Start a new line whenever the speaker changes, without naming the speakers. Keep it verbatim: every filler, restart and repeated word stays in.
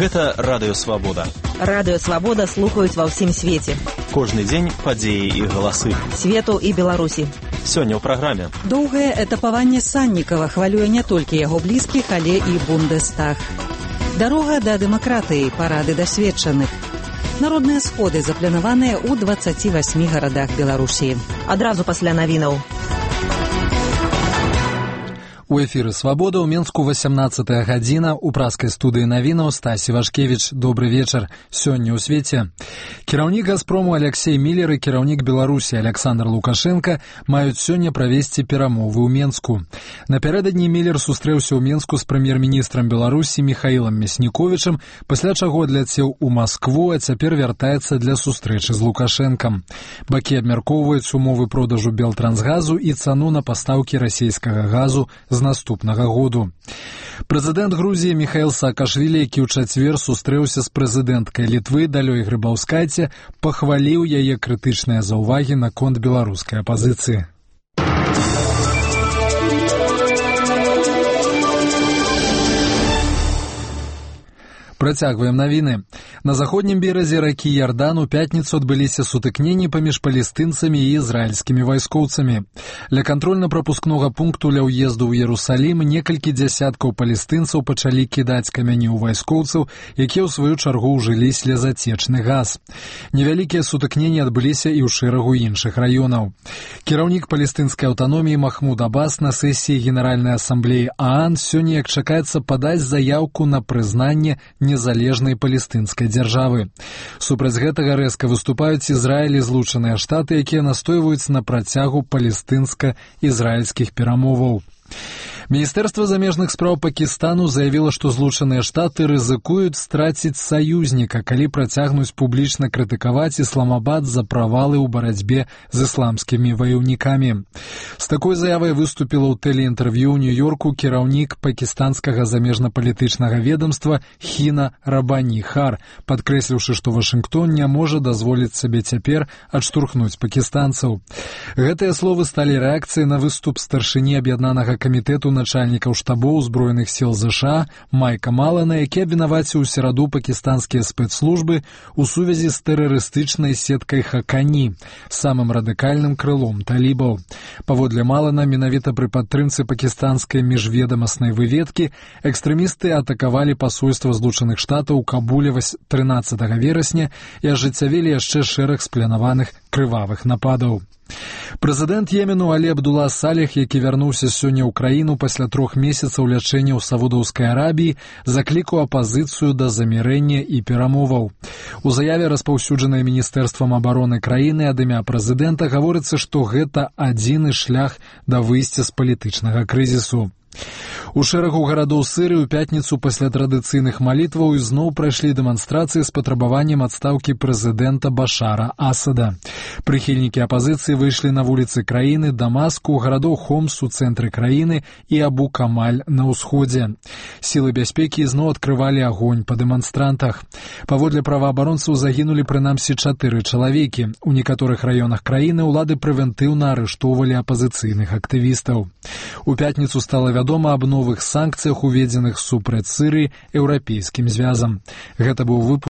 Гэта Радыё Свабода.
Радыё Свабода слухаюць ва ўсім свеце.
Кожны дзень падзеі і галасы.
Свету і Беларусі.
Сёння ў праграме.
Доўгае этапаванне Саннікава хвалюе не толькі яго блізкіх, але і Бундестаг. Дарога да дэмакратыі, парады дасведчаных. Народныя сходы запланаваныя ў дваццаці васьмі гарадах Беларусі.
Адразу пасля навінаў.
У эфіры «Свабода» ў Менску васямнаццатая гадзіна. У праскай студыі навінаў Стасі Вашкевіч. Добры вечар. Сёння ў свеце. Кіраўнік «Газпрому» Алексей Міллер і кіраўнік Беларусі Александр Лукашенко маюць сёння правесці перамовы ў Менску. Напярэдадні Міллер сустрэўся ў Менску з прэм'ер-міністрам Беларусі Міхаілам Мясніковічам, пасля чаго адляцеў у Маскву, а цяпер вяртаецца для сустрэчы з Лукашэнкам. Бакі абмяркоўваюць умовы продажу Белтрансгазу і цану на пастаўкі расійскага газу з наступнага году. Прэзідэнт Грузіі Міхаіл Саакашвілі, які ў чацвер сустрэўся з прэзідэнткай Літвы Далёй Грыбаўскайце, пахваліў яе крытычныя заўвагі наконт беларускай апазіцыі. Працягваем навіны. На заходнім беразе ракі Ярдан у пятніцу адбыліся сутыкненні паміж палестынцамі і ізраільскімі вайскоўцамі. Ля кантрольна-прапускнога пункту ля ўезду ў Ерусалім некалькі дзясяткаў палестынцаў пачалі кідаць камяні ў вайскоўцаў, якія ў сваю чаргу ўжылі слезацечны газ. Невялікія сутыкненні адбыліся і ў шэрагу іншых раёнаў. Кіраўнік палестынскай аўтаноміі Махмуд Аббас на сесіі Генеральнай асамблеі ААН сёння, як чакаецца, падаць заяўку на прызнанне незалежнай палестынскай дзяржавы. Супраць гэтага рэзка выступаюць Ізраіль і Злучаныя Штаты, якія настойваюць на працягу палестынска-ізраільскіх перамоваў. Міністэрства замежных спраў Пакістану заявіла, што Злучаныя Штаты рызыкуюць страціць саюзніка, калі працягнуць публічна крытыкаваць Ісламабад за правалы ў барацьбе з ісламскімі ваяўнікамі. З такой заявай выступіла ў тэлеінтэрв'ю ў Нью-Йорку кіраўнік пакістанскага замежна-палітычнага ведомства Хіна Рабані Хар, падкрэсліўшы, што Вашынгтон не можа дазволіць сабе цяпер адштурхнуць пакістанцаў. Гэтыя словы сталі рэакцыяй на выступ старшыні аб'яднанага камітэту начальнікаў штабоў узброеных сіл ЗША Майка Малана, які абвінаваціў у сераду пакістанскія спецслужбы ў сувязі з тэрарыстычнай сеткай Хакані, самым радыкальным крылом талібаў. Паводле Малана, менавіта пры падтрымцы пакістанскай міжведамаснай выведкі экстрэмісты атакавалі пасольства Злучаных Штатаў у Кабуле трынаццатага верасня і ажыццявілі яшчэ шэраг спланаваных крывавых нападаў. Прэзідэнт Йемену Алі Абдула Салех, які вярнуўся сёння ў краіну пасля трох месяцаў лячэння ў Саудаўскай Арабіі, заклікаў апазіцыю да замірэння і перамоваў. У заяве, распаўсюджанай Міністэрствам абароны краіны ад імя прэзідэнта, гаворыцца, што гэта адзіны шлях да выйсця з палітычнага крызісу. У шэрагу гарадоў Сырыі ў пятніцу пасля традыцыйных малітваў ізноў прайшлі дэманстрацыі з патрабаваннем адстаўкі прэзідэнта Башара Асада. Прыхільнікі апазіцыі выйшлі на вуліцы краіны, Дамаску, гарадоў Хомс у цэнтры краіны і Абу-Камаль на ўсходзе. Сілы бяспекі ізноў адкрывалі агонь па дэманстрантах. Паводле праваабаронцаў загінулі прынамсі чатыры чалавекі. У некаторых раёнах краіны ўлады прэвентыўна арыштоўвалі апазіцыйных актывістаў. У пятніцу стала вядома аб новых санкцыях, уведзеных супраць Сырыі еўрапейскім звязам. Гэта быў выпуск